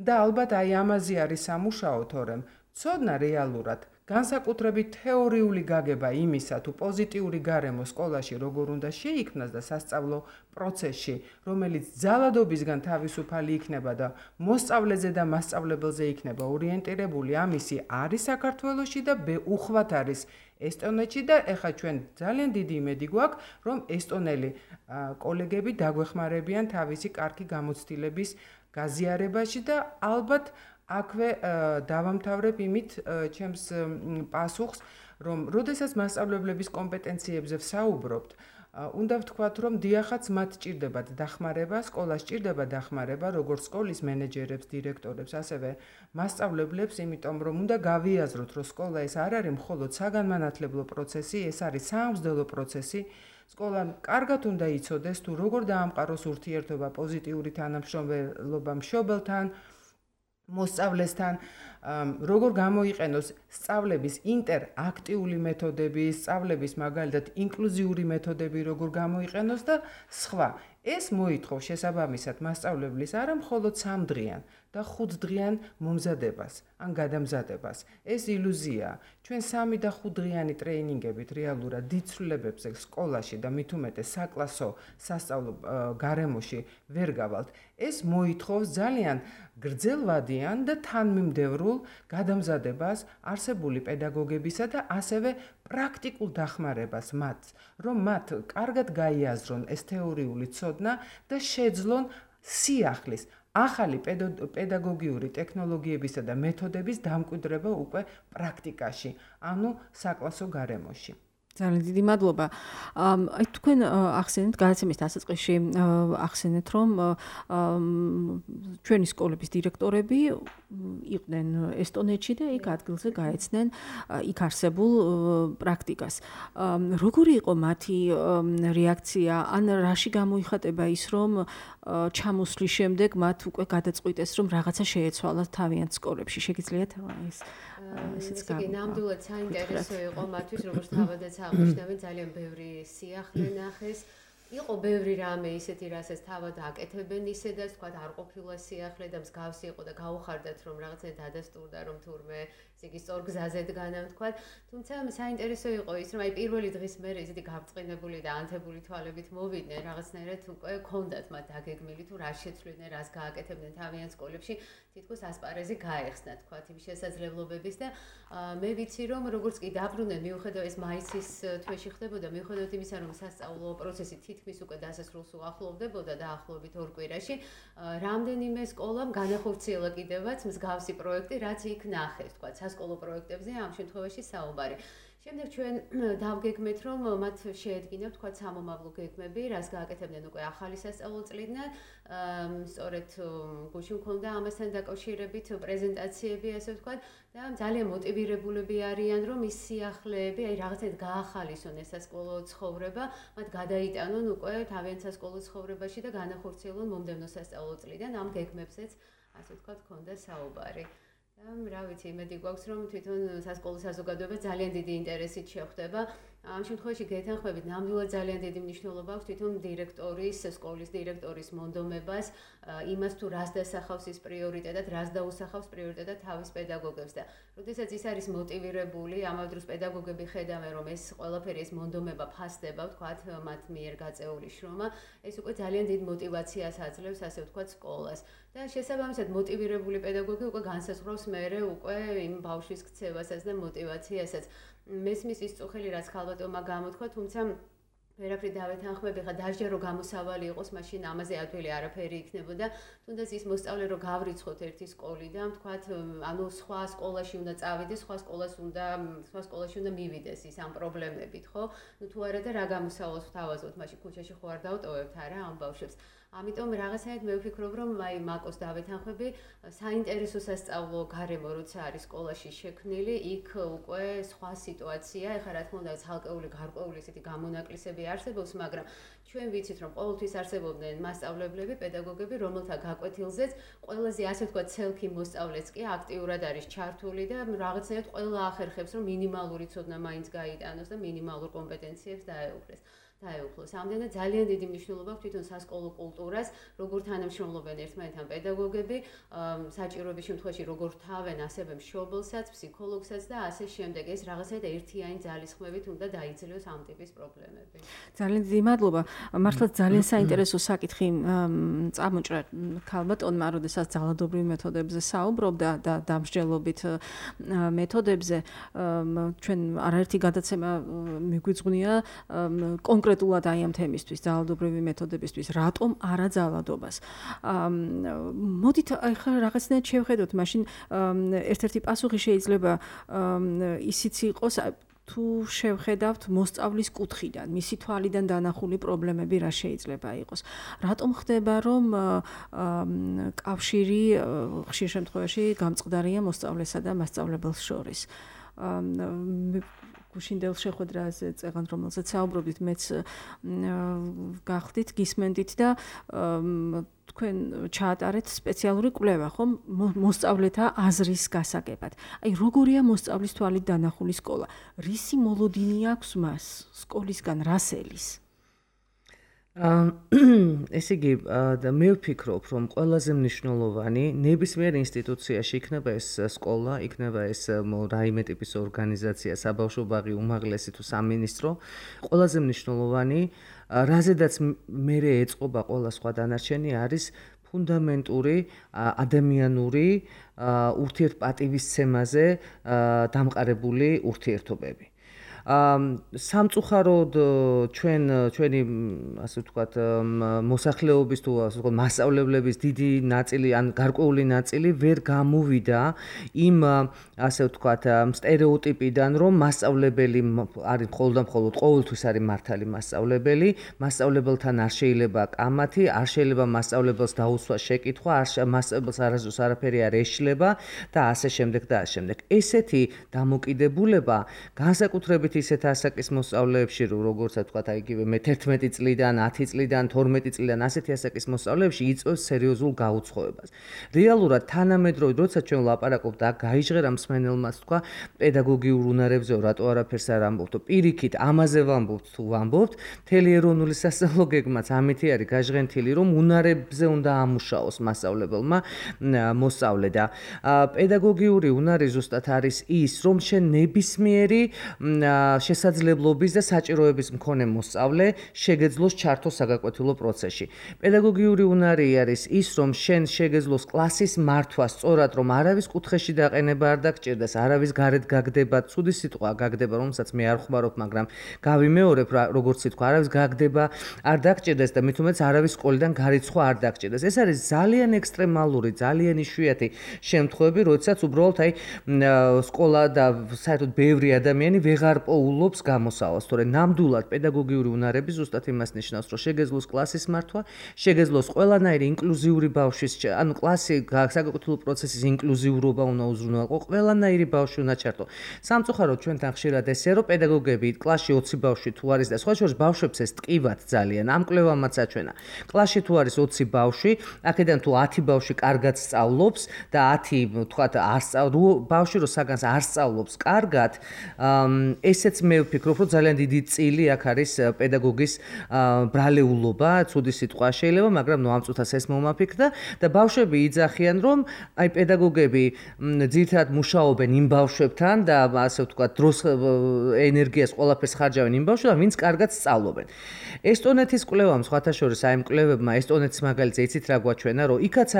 და ალბათ აი ამაზე არის სამუშაო, თორემ ცოდნა რეალურად განსაკუთრებით თეორიული გაგება იმისა, თუ პოზიტიური გარემო სკოლაში როგორ უნდა შეიქმნას და სასწავლო პროცესში, რომელიც ძალადობისგან თავისუფალი იქნება და მოსწავლეზე და მასწავლებელზე იქნება ორიენტირებული, ამისი არის საქართველოში და უხვად არის ესტონეთში და ეხლა ჩვენ ძალიან დიდი იმედი გვაქვს, რომ ესტონელი კოლეგები დაგვეხმარებიან თავისი კარგი გამოცდილების გაზიარებაში და ალბათ აქვე დავამთავრებ იმით ჩემს პასუხს, რომ როდესაც მასწავლებლების კომპეტენციებზე ვსაუბრობთ, უნდა ვთქვათ, რომ დიახაც მათ ჭირდებათ დახმარება, სკოლას ჭირდება დახმარება, როგორც სკოლის მენეჯერებს, დირექტორებს, ასევე მასწავლებლებს, იმიტომ რომ უნდა გავიაზროთ, რომ სკოლა ეს არ არის მხოლოდ საგანმანათლებლო პროცესი, ეს არის სამღვდელო პროცესი. სკოლამ კარგად უნდა იცოდეს, თუ როგორ დაამყაროს ურთიერთობა პოზიტიური თანამშრომლობა მშობელთან, მოსწავლესთან, როგორ გამოიყენოს სწავლების ინტერაქტიული მეთოდები, სწავლების მაგალითად ინკლუზიური მეთოდები როგორ გამოიყენოს და სხვა. ეს მოითხოვს შესაბამისად მასწავლებლის არა მხოლოდ 3 დღიან და 5 დღიან მომზადებას ან გადამზადებას. ეს ილუზია. ჩვენ 3 და 5 დღიანი ტრეინინგებით რეალურად დიდ ცვლილებებზე სკოლაში და მით უმეტეს საკლასო სასწავლო გარემოში ვერ გავალთ. ეს მოითხოვს ძალიან გრძელვადიან და თანმიმდევრულ გადამზადებას არსებული პედაგოგებისა და ასევე პრაქტიკულ დახმარებას მათ, რომ მათ კარგად გაიაზრონ ეს თეორიული ცოდნა და შეძლონ სიახლის ახალი პედაგოგიური ტექნოლოგიებისა და მეთოდების დამკვიდრება უკვე პრაქტიკაში, ანუ საკლასო გარემოში. ძალიან დიდი მადლობა. აი თქვენ ახსენეთ გადაცემის დასაწყისში ახსენეთ რომ ჩვენი სკოლების დირექტორები იყვნენ ესტონეთში და იქ ადგილზე გაეცნენ იქ არსებულ პრაქტიკას. როგორი იყო მათი რეაქცია? ან რაში გამოიხატება ის რომ ჩამოსვლის შემდეგ მათ უკვე გადაწყვიტეს რომ რაღაცა შეეცვალათ თავიანთ სკოლებში? შეგიძლიათ ესეც ნამდვილად საინტერესო იყო მათთვის, როგორც თავადაც აღნიშნავენ, ძალიან ბევრი სიახლე ნახეს. იყო ბევრი რამე ისეთი, რასაც თავად აკეთებენ ისედაც, თქვა არ ყოფილა სიახლე და მსგავსი იყო და გაუხარდათ რომ რაღაცა დადასტურდა რომ თურმე იგი სწორ გზაზე დგანამ თქვა. თუმცა საინტერესო იყო ის რომ აი პირველი დღის მერე ისეთი გავწყინებული და ანთებული თვალებით მოვიდნენ, რაღაცნაირად უკვე ჰქონდათ მათ დაგეგმილი თუ რა შეცვლიდნენ, რას გააკეთებდნენ თავიანთ სკოლებში, თითქოს ასპარეზი გაეხსნა თქვა იმ შესაძლებლობების და მე ვიცი რომ როგორც კი დაბრუნდნენ მიუხედავად ეს მაისის თვეში ხდებოდა, მიუხედავად იმისა რომ სასწავლო პროცესი თითქმის უკვე დასასრულს უახლოვდებოდა დაახლოებით 2 კვირაში, რამდენიმე სკოლამ განახორციელა კიდევაც მსგავსი პროექტი, რაც იქ ნახეს, თქვა სასკოლო პროექტებზე ამ შემთხვევაში საუბარი. შემდეგ ჩვენ დავგეგმეთ რომ მათ შეედგინათ თქვა სამომავლო გეგმები, რას გააკეთებდნენ უკვე ახალი სასწავლო წლიდან. სწორედ გუშინ მქონდა ამასთან დაკავშირებით პრეზენტაციები, ასე ვთქვათ, და ძალიან მოტივირებულები არიან რომ ის სიახლეები, აი რაღაცნაირად გაახალისონ ეს სასკოლო ცხოვრება, მათ გადაიტანონ უკვე თავიანთ სასკოლო ცხოვრებაში და განახორციელონ მომდევნო სასწავლო წლიდან ამ გეგმებზეც, ასე ვთქვათ, მქონდა საუბარი. რა ვიცი, იმედი გვაქვს რომ თვითონ სასკოლო საზოგადოება ძალიან დიდი ინტერესით შეხვდება. ამ შემთხვევაში გეთანხმებით, ნამდვილად ძალიან დიდი მნიშვნელობა აქვს თვითონ დირექტორის, სკოლის დირექტორის მონდომებას, იმას თუ რას დასახავს ის პრიორიტეტად, რას დაუსახავს პრიორიტეტად თავის პედაგოგებს და როდესაც ის არის მოტივირებული, ამავე დროს პედაგოგები ხედავენ რომ ეს ყველაფერი ეს მონდომება ფასდება, ვთქვათ, მათ მიერ გაწეული შრომა, ეს უკვე ძალიან დიდ მოტივაციას აძლევს, ასე ვთქვათ, სკოლას. და შესაბამისად მოტივირებული პედაგოგი უკვე განსაზღვრავს მერე უკვე იმ ბავშვის ქცევასაც და მოტივაციასაც. მესმის ის წუხელი რაც ხალბატონმა გამოთქვა, თუმცა ვერაფრით დავეთანხმები, ხა დაჟე რომ გამოსავალი იყოს, მაშინ ამაზე ადვილი არაფერი იქნებოდა. თუნდაც ის მოსწავლე რომ გავრიცხოთ ერთი სკოლიდან, ვთქვათ, ანუ სხვა სკოლაში უნდა წავიდეს, სხვა სკოლაში უნდა მივიდეს ის ამ პრობლემებით, ხო? ნუ თუ არა და რა გამოსავალს ვთავაზობთ, მაშინ ქუჩაში ხო არ დავტოვებთ არა ამ ბავშვებს. ამიტომ რაღაცნაირად მე ვფიქრობ რომ აი მაკოს დავეთანხმები, საინტერესო სასწავლო გარემო როცა არის სკოლაში შექმნილი, იქ უკვე სხვა სიტუაცია, ეხლა რა თქმა უნდა ცალკეული გარკვეული ესეთი გამონაკლისები არსებობს, მაგრამ ჩვენ ვიცით რომ ყოველთვის არსებობდნენ მასწავლებლები, პედაგოგები, რომელთა გაკვეთილზეც ყველაზე ასე ვთქვათ ცელქი მოსწავლეც კი აქტიურად არის ჩართული და რაღაცნაირად ყველა ახერხებს რომ მინიმალური ცოდნა მაინც გაიტანოს და მინიმალურ კომპეტენციებს დაეუფლეს. დაეუფლოს. ამდენად ძალიან დიდი მნიშვნელობა აქვს თვითონ სასკოლო კულტურას, როგორ თანამშრომლობენ ერთმანეთთან პედაგოგები, საჭიროების შემთხვევაში როგორ თავენ ასევე მშობელსაც, ფსიქოლოგსაც და ასე შემდეგ. ეს რაღაცა ერთიანი ძალისხმევით უნდა დაიძლიოს ამ ტიპის პრობლემები. ძალიან დიდი მადლობა. მართლაც ძალიან საინტერესო საკითხი წამოჭრა ქალბატონმა, როდესაც ძალადობრივ მეთოდებზე საუბრობდა და დამსჯელობით მეთოდებზე. ჩვენ არაერთი გადაცემა მიგვიძღვნია კონკრეტულად აი ამ თემისთვის, ძალადობრივი მეთოდებისთვის, რატომ არა ძალადობას. მოდით ახლა რაღაცნაირად შევხედოთ, მაშინ ერთ-ერთი პასუხი შეიძლება ისიც იყოს თუ შევხედავთ მოსწავლის კუთხიდან, მისი თვალიდან დანახული პრობლემები რა შეიძლება იყოს. რატომ ხდება, რომ კავშირი ხშირ შემთხვევაში გამწყდარია მოსწავლესა და მასწავლებელს შორის? გუშინდელ შეხვედრაზე წეგან რომელზეც საუბრობდით, მეც გახდით, გისმენდით და თქვენ ჩაატარეთ სპეციალური კვლევა, ხომ, მოსწავლეთა აზრის გასაგებად. აი, როგორია მოსწავლის თვალით დანახული სკოლა? რისი მოლოდინი აქვს მას სკოლისგან, რას ელის? ესე იგი, მე ვფიქრობ, რომ ყველაზე მნიშვნელოვანი ნებისმიერ ინსტიტუციაში, იქნება ეს სკოლა, იქნება ეს რაიმე ტიპის ორგანიზაცია, საბავშვო ბაღი, უმაღლესი თუ სამინისტრო, ყველაზე მნიშვნელოვანი, რაზედაც მე ეწყობა ყველა სხვა დანარჩენი არის ფუნდამენტური ადამიანური ურთიერთპატივისცემაზე დამყარებული ურთიერთობები. სამწუხაროდ ჩვენი ასე ვთქვათ მოსახლეობის თუ ასე ვთქვათ მასწავლებლების დიდი ნაწილი ან გარკვეული ნაწილი ვერ გამოვიდა იმ ასე ვთქვათ სტერეოტიპიდან, რომ მასწავლებელი არის მხოლოდ ყოველთვის არის მართალი მასწავლებელი, მასწავლებელთან არ შეიძლება კამათი, არ შეიძლება მასწავლებელს დაუსვა შეკითხვა, მასწავლებელს არასდროს არაფერი არ ეშლება და ასე შემდეგ და ასე შემდეგ. ესეთი დამოკიდებულება განსაკუთრებით ისეთ ასაკის მოსწავლეებში, როგორც ვთქვათ, აი იგივე მე 11 წლიდან, 10 წლიდან, 12 წლიდან ასეთი ასაკის მოსწავლეებში იწვევს სერიოზულ გაუცხოებას. რეალურად თანამედროვე, როცა ჩვენ ვლაპარაკობთ და გაიჟღერა მსმენელმაც თქვა პედაგოგიურ უნარებზე, რატო არაფერს არ ამბობთ, პირიქით ამაზე ვამბობთ თუ ვამბობთ, მთელი ეროვნული სასწავლო გეგმაც ამითი არის გაჟღენთილი, რომ უნარებზე უნდა ამუშაოს მასწავლებელმა მოსწავლე და პედაგოგიური უნარი ზუსტად არის ის, რომ შენ ნებისმიერი შესაძლებლობის და საჭიროების მქონე მოსწავლე შეგეძლოს ჩართოს საგაკვეთილო პროცესში. პედაგოგიური უნარი არის ის, რომ შენ შეგეძლოს კლასის მართვა სწორად, რომ არავის კუთხეში დაყენება არ დაგჭირდეს, არავის გარეთ გაგდება, ცუდი სიტყვა გაგდება, რომელსაც მე არ ხმარობ, მაგრამ გავიმეორებ, როგორც სიტყვა, არავის გაგდება არ დაგჭირდეს და მით უმეტეს არავის სკოლიდან გარიცხვა არ დაგჭირდეს. ეს არის ძალიან ექსტრემალური, ძალიან იშვიათი შემთხვევები, როდესაც უბრალოდ აი სკოლა და საერთოდ ბევრი ადამიანი ვეღარ პოულობს გამოსავალს, თორე ნამდვილად პედაგოგიური უნარები ზუსტად იმას ნიშნავს, რომ შეგეძლოს კლასის მართვა, შეგეძლოს ყველანაირი ინკლუზიური ბავშვის, ანუ კლასი საგაკვეთილო პროცესის ინკლუზიურობა უნდა უზრუნველყო, ყველანაირი ბავშვი უნდა ჩართო. სამწუხაროდ ჩვენთან ხშირად ესეა, რომ პედაგოგები კლასში 20 ბავშვი თუ არის და სხვა შორის ბავშვებს ეს ტკივათ ძალიან. ამ კვლევამაც აჩვენა. კლასში თუ არის 20 ბავშვი, აქედან თუ 10 ბავშვი კარგად სწავლობს და 10 თქვათ ბავშვი რო საგანს არ სწავლობს კარგად, ესეც მე ვფიქრობ, რომ ძალიან დიდი წილი აქ არის პედაგოგის ბრალეულობა, ცუდი სიტყვა შეიძლება, მაგრამ ნუ ამ წუთას ეს მომაფიქრდა და ბავშვები იძახიან, რომ აი პედაგოგები ძირითადად მუშაობენ იმ ბავშვებთან და ასე ვთქვათ, დროს ენერგიას ყველაფერს ხარჯავენ იმ ბავშვებთან, ვინც კარგად სწავლობენ. ესტონეთის კვლევამ სხვათა შორის აი კვლევებმა ესტონეთის მაგალითზე იცით რა გვაჩვენა, რომ იქაც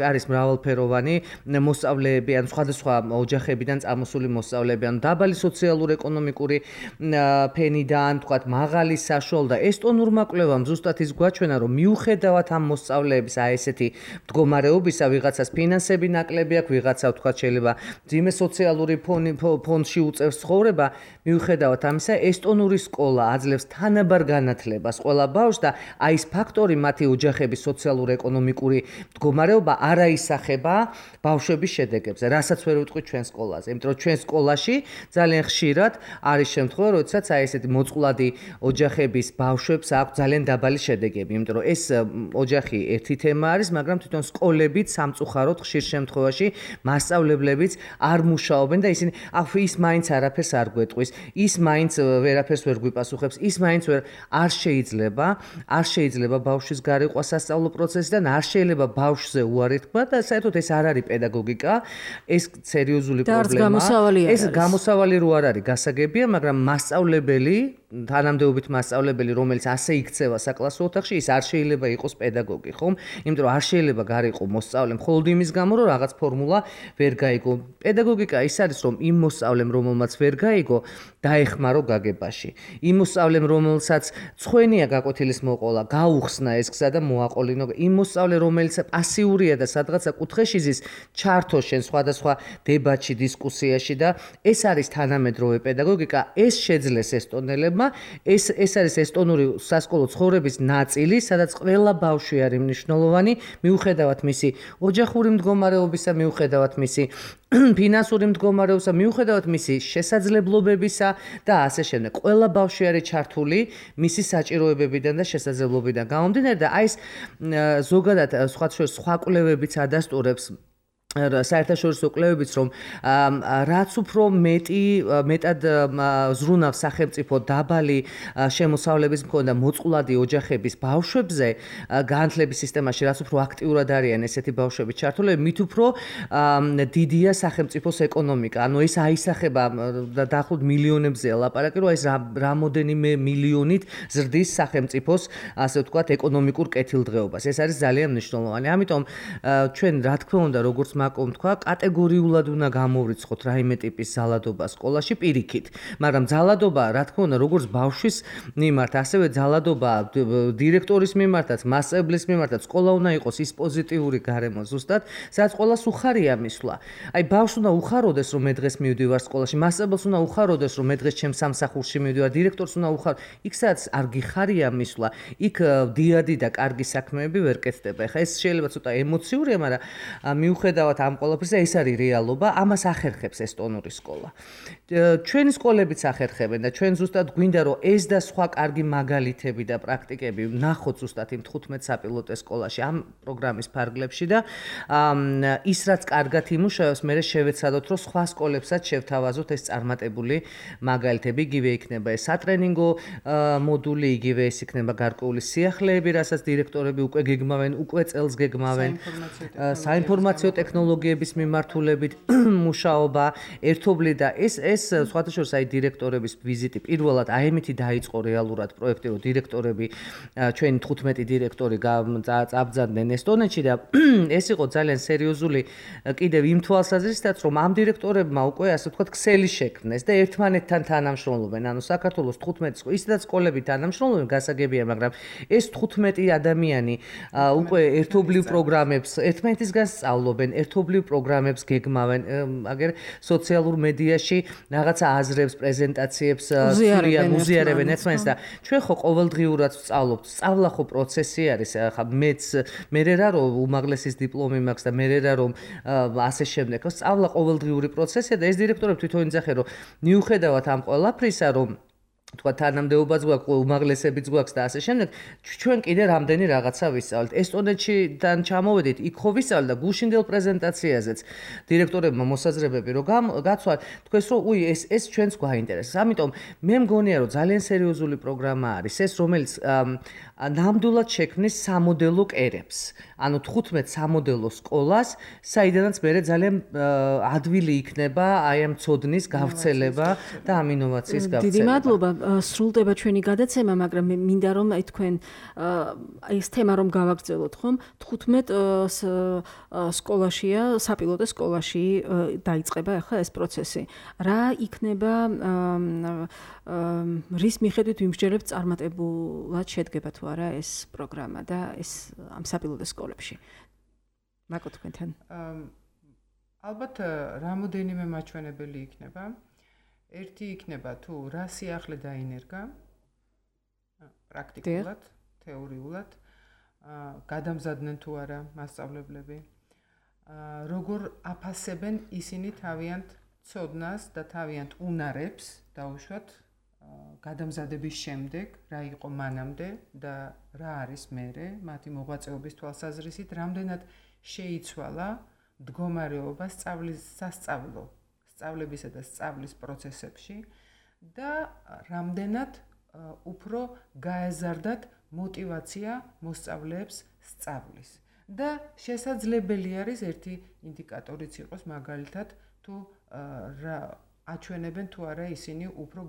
არის მრავალფეროვანი მოსწავლეები, ან სხვადასხვა ოჯახებიდან წამოსული მოსწავლეები, ან დაბალი სოციალურ-ეკონომიკური ფენიდან, თქვათ, მაღალი საშუალო და ესტონურმა კვლევამ ზუსტად ის გვაჩვენა, რომ მიუხედავად ამ მოსწავლეების აი ესეთი მდგომარეობისა, ვიღაცას ფინანსები ნაკლები აქვს, ვიღაცა თქვათ შეიძლება ძიმე სოციალური ფონდში უწევს ცხოვრება, მიუხედავად ამისა, ესტონური სკოლა აძლევს თანაბარ განათლებას ყველა ბავშვს და აი ეს ფაქტორი მათი ოჯახების სოციალურ-ეკონომიკური მდგომარეობა არ აისახება ბავშვების შედეგებზე, რასაც ვერ ვიტყვით ჩვენ სკოლაზე, იმიტომ რომ ჩვენ სკოლაში ძალიან ხშირად არის შემთხვევა, როდესაც აი ესეთი მოწყვლადი ოჯახების ბავშვებს აქვს ძალიან დაბალი შედეგები, იმიტომ რომ ეს ოჯახი ერთი თემა არის, მაგრამ თვითონ სკოლებიც სამწუხაროდ ხშირ შემთხვევაში მასწავლებლებიც არ მუშაობენ და ისინი ის მაინც არაფერს არ გვეტყვის, ის მაინც ვერაფერს ვერ გვიპასუხებს, ის მაინც არ შეიძლება ბავშვის გარიყვა სასწავლო პროცესიდან, არ შეიძლება ბავშვზე უარი თქვა და საერთოდ ეს არ არის პედაგოგიკა, ეს სერიოზული პრობლემაა. ეს გამოსავალი რო არ არის გასაგებია, მაგრამ მასწავლებელი, თანამდებობით მასწავლებელი, რომელიც ასე იქცევა საკლასო ოთახში, ის არ შეიძლება იყოს პედაგოგი, ხომ? იმიტომ რომ არ შეიძლება გარიყო მოსწავლე მხოლოდ იმის გამო, რომ რაღაც ფორმულა ვერ გაიგო. პედაგოგიკა ის არის, რომ იმ მოსწავლემ, რომელმაც ვერ გაიგო, დაეხმარო გაგებაში. იმ მოსწავლემ, რომელსაც ცხვენია გაკვეთილის მოყოლა, გაუხსნა ეს გზა და მოაყოლინო. იმ მოსწავლე, რომელიც პასიურია და სადღაცა კუთხეში ზის, ჩართო შენ სხვადასხვა დებატში, დისკუსიაში და ეს არის თანამედროვე პედაგოგიკა, ეს შეძლეს ესტონელებმა, ეს არის ესტონური სასკოლო ცხოვრების ნაწილი, სადაც ყველა ბავშვი არის მნიშვნელოვანი, მიუხედავად მისი ოჯახური მდგომარეობისა, მიუხედავად მისი ფინანსური მდგომარეობისა, მიუხედავად მისი შესაძლებლობებისა და ასე შემდეგ. ყველა ბავშვი არის ჩართული მისი საჭიროებებიდან და შესაძლებლობებიდან გამომდინარე და აი ეს ზოგადად სხვა კვლევებიც ადასტურებს საერთაშორისო კვლევებიც რომ რაც უფრო მეტად ზრუნავს სახელმწიფო დაბალი შემოსავლების მქონე და მოწყვლადი ოჯახების ბავშვებზე განათლების სისტემაში რაც უფრო აქტიურად არიან ესეთი ბავშვები ჩართული, მით უფრო დიდია სახელმწიფოს ეკონომიკა. ანუ ეს აისახება დაახლოებით მილიონებზე ლაპარაკი, რომ ეს რამოდენიმე მილიონით ზრდის სახელმწიფოს ასე ვთქვათ ეკონომიკურ კეთილდღეობას. ეს არის ძალიან მნიშვნელოვანი. ამიტომ ჩვენ რა თქმა უნდა როგორც მაკომ თქვა, კატეგორიულად უნდა გამოვრიცხოთ რაიმე ტიპის ძალადობა სკოლაში პირიქით, მაგრამ ძალადობა, რა თქმა უნდა, როგორც ბავშვის მიმართ, ასევე ძალადობა დირექტორის მიმართაც, მასწავლებლის მიმართაც, სკოლა უნდა იყოს ის პოზიტიური გარემო ზუსტად, სადაც ყველას უხარია მისვლა. აი ბავშვს უნდა უხაროდეს, რომ მე დღეს მივდივარ სკოლაში, მასწავლებელს უნდა უხაროდეს, რომ მე დღეს ჩემს სამსახურში მივდივარ, დირექტორს უნდა უხაროდეს. იქ სადაც არ გიხარია მისვლა, იქ დიადი და კარგი საქმეები ვერ კეთდება. ეხლა ეს შეიძლება ცოტა ემოციურია, მაგრამ მიუხედავად ამ ყველაფერზე ეს არის რეალობა, ამას ახერხებს ესტონური სკოლა. ჩვენი სკოლებიც ახერხებენ და ჩვენ ზუსტად გვინდა რომ ეს და სხვა კარგი მაგალითები და პრაქტიკები ვნახოთ ზუსტად იმ 15 საპილოტო სკოლაში ამ პროგრამის ფარგლებში და ის რაც კარგად იმუშავებს, მე შევეცადოთ რომ სხვა სკოლებსაც შევთავაზოთ ეს წარმატებული მაგალითები, იგივე იქნება ეს სატრენინგო მოდული, იგივე ეს იქნება გარკვეული სიახლეები, რასაც დირექტორები უკვე გეგმავენ, უკვე წელს გეგმავენ საინფორმაციო ტექნოლოგიების მიმართულებით მუშაობა, ერთობლი და ეს სხვათა შორის აი დირექტორების ვიზიტი პირველად აემითი დაიწყო რეალურად პროექტი, რომ დირექტორები ჩვენი 15 დირექტორი წაბძანდნენ ესტონეთში და ეს იყო ძალიან სერიოზული კიდევ იმ თვალსაზრისითაც, რომ ამ დირექტორებმა უკვე ასე ვთქვათ ქსელი შექმნეს და ერთმანეთთან თანამშრომლობენ, ანუ საქართველოს 15 ისედაც სკოლები თანამშრომლობენ, გასაგებია, მაგრამ ეს 15 ადამიანი უკვე ერთობლივ პროგრამებს ერთმანეთისგან სწავლობენ, ერთობლივ პროგრამებს გეგმავენ, აგერ სოციალურ მედიაში რაღაცა აზრებს, პრეზენტაციებს უზიარებენ ერთმანეთს და ჩვენ ხო ყოველდღიურად ვსწავლობთ. სწავლა ხო პროცესი არის, ხა მე რა რომ უმაღლესის დიპლომი მაქვს და მე რა რომ ასე შემდეგ. სწავლა ყოველდღიური პროცესია და ეს დირექტორები თვითონ იძახენ, რომ მიუხედავად ამ ყველაფრისა, რომ თქვა თანამდებობაც გვაქვს, უმაღლესებიც გვაქვს და ასე შემდეგ, ჩვენ კიდე რამდენი რაღაცა ვისწავლეთ. ესტონეთიდან ჩამოვედით, იქ ხო ვისწავლეთ და გუშინდელ პრეზენტაციაზეც დირექტორებმა მოსაზრებები რომ გაცვალთ, თქვენს რომ ეს ჩვენს გვაინტერესებს. ამიტომ მე მგონია რომ ძალიან სერიოზული პროგრამა არის ეს, რომელიც ნამდვილად შექმნის სამოდელო კერებს. ანუ 15 სამოდელო სკოლას, საიდანაც მე ძალიან ადვილი იქნება აი ამ ცოდნის გავრცელება და ამ ინოვაციის გავრცელება. დიდი მადლობა. სრულდება ჩვენი გადაცემა, მაგრამ მე მინდა რომ თქვენ ეს თემა რომ გავაგრძელოთ, ხომ? 15 სკოლაშია, საპილოტო სკოლაში დაიწყება ახლა ეს პროცესი. რა იქნება რის მიხედვით ვიმსჯელებთ წარმატებულად შედგება თუ არა ეს პროგრამა და ეს ამ საპილოტო სკოლებში. მაკო თქვენთან. ალბათ რამოდენიმე მაჩვენებელი იქნება. ერთი იქნება თუ რა სიახლე დაინერგა პრაქტიკულად, თეორიულად, გადამზადდნენ თუ არა მასწავლებლები, როგორ აფასებენ ისინი თავიანთ ცოდნას და თავიანთ უნარებს დაუშვათ გადამზადების შემდეგ, რა იყო მანამდე და რა არის მერე, მათი მოღვაწეობის თვალსაზრისით, რამდენად შეიცვალა მდგომარეობა სწავლებისა და სწავლის პროცესებში და რამდენად უფრო გაეზარდათ მოტივაცია მოსწავლეებს სწავლის. და შესაძლებელი არის ერთი ინდიკატორიც იყოს მაგალითად თუ აჩვენებენ თუ არა ისინი უფრო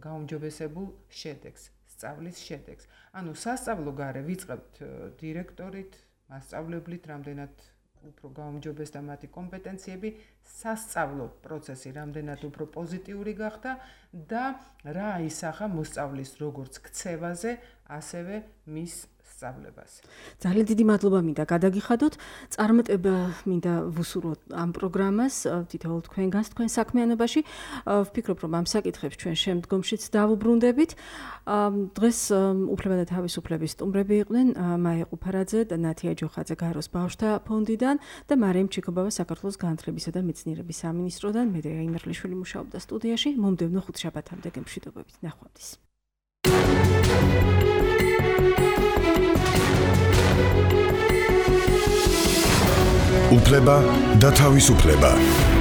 გაუმჯობესებულ შედეგს, სწავლის შედეგს. ანუ სასწავლო გარე ვიწყებთ დირექტორით, მასწავლებლით, რამდენად უფრო გაუმჯობესდა მათი კომპეტენციები, სასწავლო პროცესი რამდენად უფრო პოზიტიური გახდა და რა აისახა მოსწავლის როგორც ქცევაზე, ასევე მის სწავლებას. ძალიან დიდი მადლობა მინდა გადაგიხადოთ. წარმატება მინდა ვუსურვოთ ამ პროგრამას თითოეულ თქვენგანს თქვენ საქმიანობაში. ვფიქრობ, რომ ამ საკითხებს ჩვენ შემდგომშიც დავუბრუნდებით. დღეს უფლება და თავისუფლების სტუმრები იყვნენ მაია ყუფარაძე და ნათია ჯოხაძე გაეროს ბავშვთა ფონდიდან და მარიამ ჩიქობავა საქართველოს განათლებისა და მეცნიერების სამინისტროდან. მედეა იმერლიშვილი მუშაობდა სტუდიაში. მომდევნო ხუთშაბათამდე გემშვიდობებით. ნახვამდის. უფლება და თავისუფლება.